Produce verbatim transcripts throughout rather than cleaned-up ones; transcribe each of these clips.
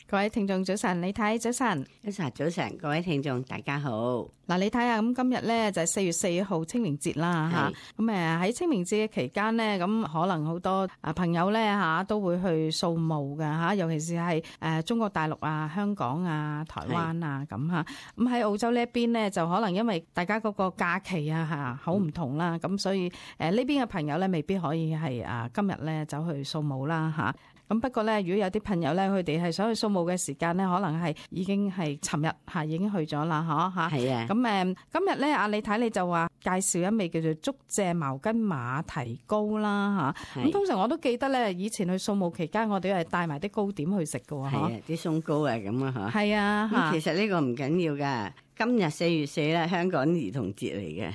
各位聽眾早晨，李太早晨，一齊早晨，各位聽眾大家好。嗱，你睇下咁今日咧就係四月四號清明節啦吓，咁誒喺清明節嘅期間咧，咁可能好多啊朋友咧吓都會去掃墓㗎吓，尤其是係誒中國大陸啊、香港啊、台灣啊咁吓。咁喺澳洲呢一邊咧，就可能因為大家嗰個假期啊吓好唔同啦，咁所以誒呢邊嘅朋友咧未必可以係啊今日咧走去掃墓啦吓。咁不過咧，如果有啲朋友咧，佢哋係想去掃墓嘅時間咧，可能係已經係尋日嚇已經去咗啦，嗬嚇。係啊。咁誒，今日咧，阿李太你就話介紹一味叫做竹蔗茅根馬蹄糕啦嚇。咁通常我都記得咧，以前去掃墓期間，我哋係帶埋啲糕點去食㗎喎。係啊，啲鬆糕啊咁啊嚇。係啊。咁其實呢個唔緊要㗎。今日四月四咧，香港兒童節嚟嘅。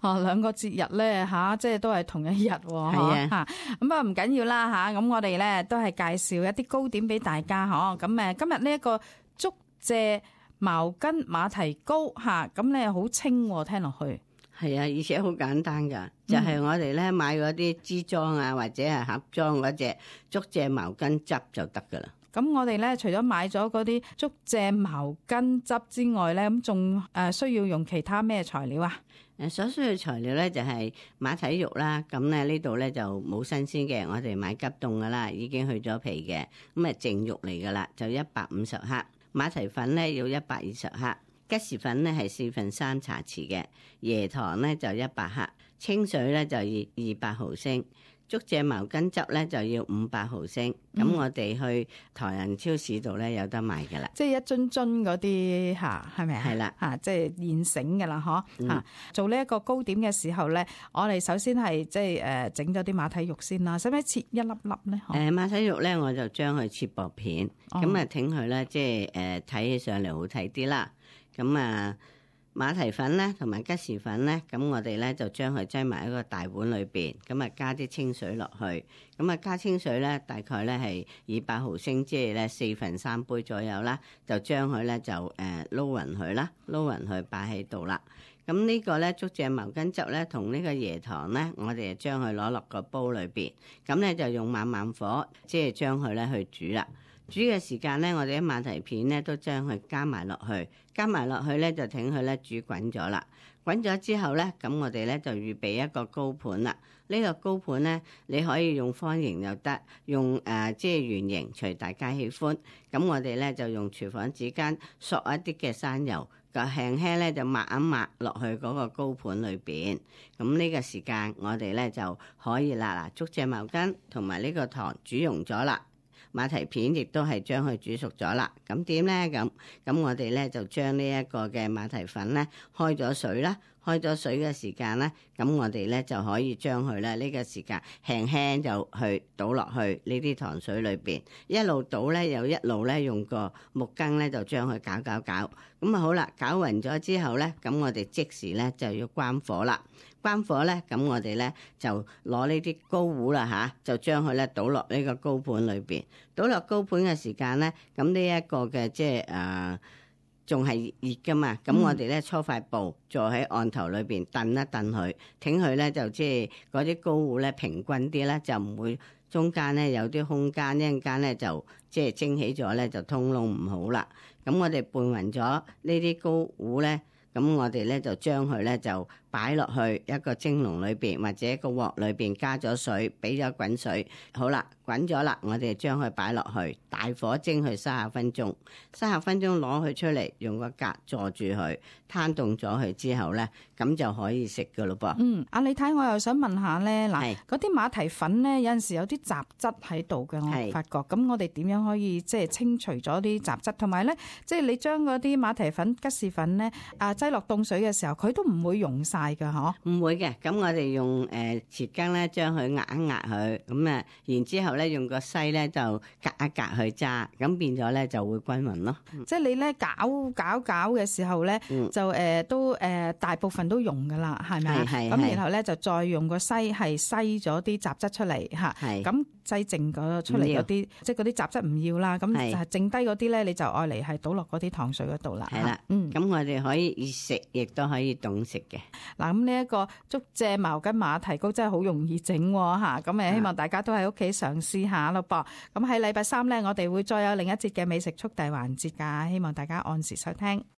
哦，兩個節日咧吓，即係都係同一日喎。係啊，咁不過唔緊要啦吓，咁我哋咧都係介紹一啲糕點俾大家嗬。咁誒，今日呢一個竹蔗茅根馬蹄糕吓，咁咧好清聽落去。係啊，而且好簡單噶，就係、是、我哋咧買嗰啲支裝啊，或者係盒裝嗰隻竹蔗茅根汁就得噶啦。咁我哋咧除咗買咗嗰啲竹蔗茅根汁之外咧，咁仲誒需要用其他咩材料啊？誒，所需要材料咧就係馬蹄肉啦。咁咧呢度咧就冇新鮮嘅，我哋買急凍噶啦，已經去咗皮嘅。咁啊淨肉嚟噶啦，就一百五十克。馬蹄粉咧要一百二十克，吉士粉咧係四分三茶匙嘅，椰糖咧就一百克，清水咧就要二百毫升。竹蔗茅根汁咧就要五百毫升，咁、嗯、我哋去台人超市度咧有得賣噶啦，即係一樽樽嗰啲吓，係咪啊？係啦，吓即係現成噶啦，嗬吓、嗯。做呢一個糕點嘅時候咧，我哋首先係即係誒整咗啲馬蹄肉先啦，使唔使切一粒粒咧？誒、呃，馬蹄肉咧我就將佢切薄片，咁啊挺佢咧即係誒睇起上嚟好睇啲啦，咁啊。馬蹄粉咧同埋吉士粉咧，咁我哋咧就將佢擠埋一個大碗裏邊，咁啊加啲清水落去，咁啊加清水咧大概咧係二百毫升，即係咧四分三杯左右啦，就將佢咧就誒撈勻佢啦，撈勻佢擺喺度啦。咁呢個咧竹蔗茅根汁咧同呢個椰糖咧，我哋就將佢攞落個煲裏邊，咁咧就用慢慢火，即係將佢咧去煮啦。煮嘅時間咧，我哋啲馬蹄片咧都將佢加埋落去，加埋落去咧就等佢咧煮滾咗啦。滾咗之後咧，咁我哋咧就預備一個糕盤啦。呢、這個糕盤咧，你可以用方形又得，用誒、呃、即係圓形，隨大家喜歡。咁我哋咧就用廚房紙巾索一啲嘅山油，就輕輕咧就抹一抹落去嗰個糕盤裏邊。咁呢個時間我哋咧就可以啦。嗱，竹蔗茅根同埋呢個糖煮溶咗啦。馬蹄片亦都係將佢煮熟咗啦，咁點咧？咁咁我哋咧就將呢一個嘅馬蹄粉咧開咗水啦，開咗水嘅時間咧，咁我哋咧就可以將佢咧呢個時間輕輕就去倒落去呢啲糖水裏邊，一路倒咧又一路咧用個木羹咧就將佢攪攪攪，咁啊好啦，攪勻咗之後咧，咁我哋即時咧就要關火啦。關火咧，咁我哋咧就攞呢啲糕糊啦吓，就將佢咧倒落呢個糕盤裏邊。倒落糕盤嘅時間咧，咁呢一個嘅即係誒仲係熱噶嘛，咁我哋咧搓塊布坐喺案頭裏邊燉一燉佢，挺佢咧就即係嗰啲糕糊咧平均啲咧，就唔會中間咧有啲空間，一陣間咧就即係蒸起咗咧就通窿唔好啦。咁我哋拌勻咗呢啲糕糊咧。咁我哋咧就將佢咧就擺落去一個蒸籠裏邊，或者一個鑊裏邊加咗水，俾咗滾水。好啦，滾咗啦，我哋將佢擺落去，大火蒸佢三十分鐘。三十分鐘攞佢出嚟，用個格坐住佢，攤凍咗佢之後咧，咁就可以食噶咯噃。嗯，阿李太，我又想問下咧，嗱，嗰啲馬蹄粉咧有陣時有啲雜質喺度嘅，我發覺。咁我哋點樣可以即係清除咗啲雜質？同埋咧，即係你將嗰啲馬蹄粉、吉士粉咧啊，擠落凍水嘅時候，佢都唔會溶晒噶，嗬？唔會嘅，咁我哋用誒匙羹咧，將佢壓一壓佢，咁啊，然之後咧用個篩咧就隔一隔去揸，咁變咗咧就會均勻咯。嗯、即係你咧攪攪攪嘅時候咧，嗯、就誒、呃、都誒、呃、大部分都溶噶啦，係咪啊？咁然後咧就再用個篩係篩咗啲雜質出嚟吓，咁篩剩嗰出嚟嗰啲，即係嗰啲雜質唔要啦，咁就係剩低嗰啲咧，你就愛嚟係倒落嗰啲糖水嗰度啦。係啦，嗯，咁我哋可以熱食，亦都可以凍食嘅。嗱，咁呢一個竹蔗茅根馬蹄糕真係好容易整嚇，咁誒希望大家都喺屋企嘗試下咯噃。咁喺禮拜三咧，我哋會再有另一節嘅美食速遞環節㗎，希望大家按時收聽。